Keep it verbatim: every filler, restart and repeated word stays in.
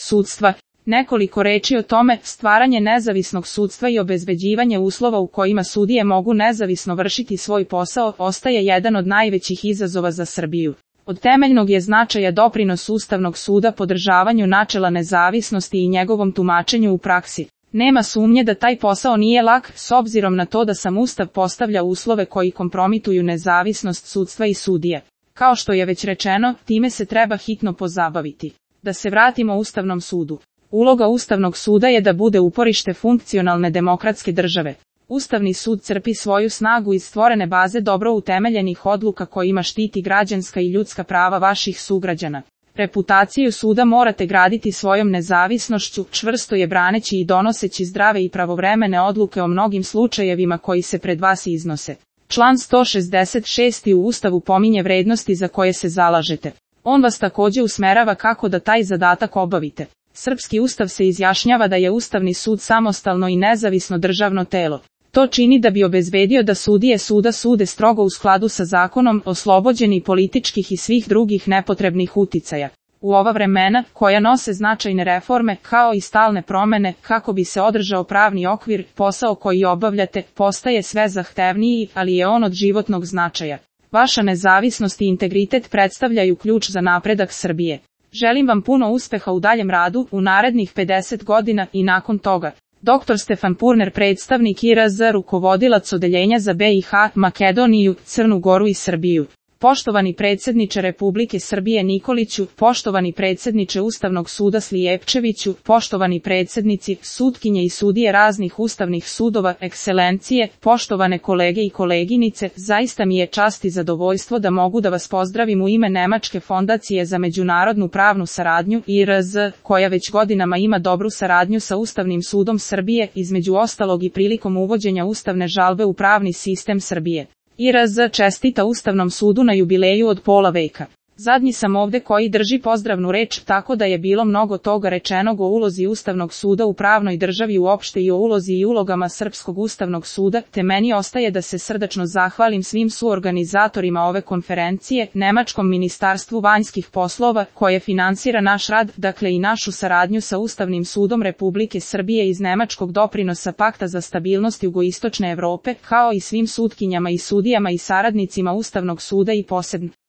sudstva. Nekoliko reči o tome, stvaranje nezavisnog sudstva i obezbeđivanje uslova u kojima sudije mogu nezavisno vršiti svoj posao, ostaje jedan od najvećih izazova za Srbiju. Od temeljnog je značaja doprinos Ustavnog suda podržavanju načela nezavisnosti i njegovom tumačenju u praksi. Nema sumnje da taj posao nije lak, s obzirom na to da sam Ustav postavlja uslove koji kompromituju nezavisnost sudstva i sudije. Kao što je već rečeno, time se treba hitno pozabaviti. Da se vratimo Ustavnom sudu. Uloga Ustavnog suda je da bude uporište funkcionalne demokratske države. Ustavni sud crpi svoju snagu iz stvorene baze dobro utemeljenih odluka kojima štiti građanska i ljudska prava vaših sugrađana. Reputaciju suda morate graditi svojom nezavisnošću, čvrsto je braneći i donoseći zdrave i pravovremene odluke o mnogim slučajevima koji se pred vas iznose. Član sto šezdeset šest u Ustavu pominje vrednosti za koje se zalažete. On vas također usmerava kako da taj zadatak obavite. Srpski ustav se izjašnjava da je Ustavni sud samostalno i nezavisno državno telo. To čini da bi obezbedio da sudije suda sude strogo u skladu sa zakonom, oslobođeni političkih i svih drugih nepotrebnih uticaja. U ova vremena, koja nose značajne reforme, kao i stalne promene, kako bi se održao pravni okvir, posao koji obavljate, postaje sve zahtevniji, ali je on od životnog značaja. Vaša nezavisnost i integritet predstavljaju ključ za napredak Srbije. Želim vam puno uspeha u daljem radu, u narednih pedeset godina i nakon toga. doktor Stefan Purner, predstavnik I R Z, rukovodilac odeljenja za B i H, Makedoniju, Crnu Goru i Srbiju. Poštovani predsjedniče Republike Srbije Nikoliću, poštovani predsjedniče Ustavnog suda Slijepčeviću, poštovani predsjednici, sutkinje i sudije raznih ustavnih sudova, ekscelencije, poštovane kolege i koleginice, zaista mi je čast i zadovoljstvo da mogu da vas pozdravim u ime Nemačke fondacije za međunarodnu pravnu saradnju I R Z, koja već godinama ima dobru saradnju sa Ustavnim sudom Srbije, između ostalog i prilikom uvođenja ustavne žalbe u pravni sistem Srbije. I R Z čestita Ustavnom sudu na jubileju od pola veka. Zadnji sam ovde koji drži pozdravnu reč, tako da je bilo mnogo toga rečenog o ulozi Ustavnog suda u pravnoj državi uopšte i o ulozi i ulogama Srpskog Ustavnog suda, te meni ostaje da se srdačno zahvalim svim suorganizatorima ove konferencije, Nemačkom ministarstvu vanjskih poslova, koje finansira naš rad, dakle i našu saradnju sa Ustavnim sudom Republike Srbije iz Nemačkog doprinosa Pakta za stabilnost jugoistočne Evrope, kao i svim sutkinjama i sudijama i saradnicima Ustavnog suda i posebno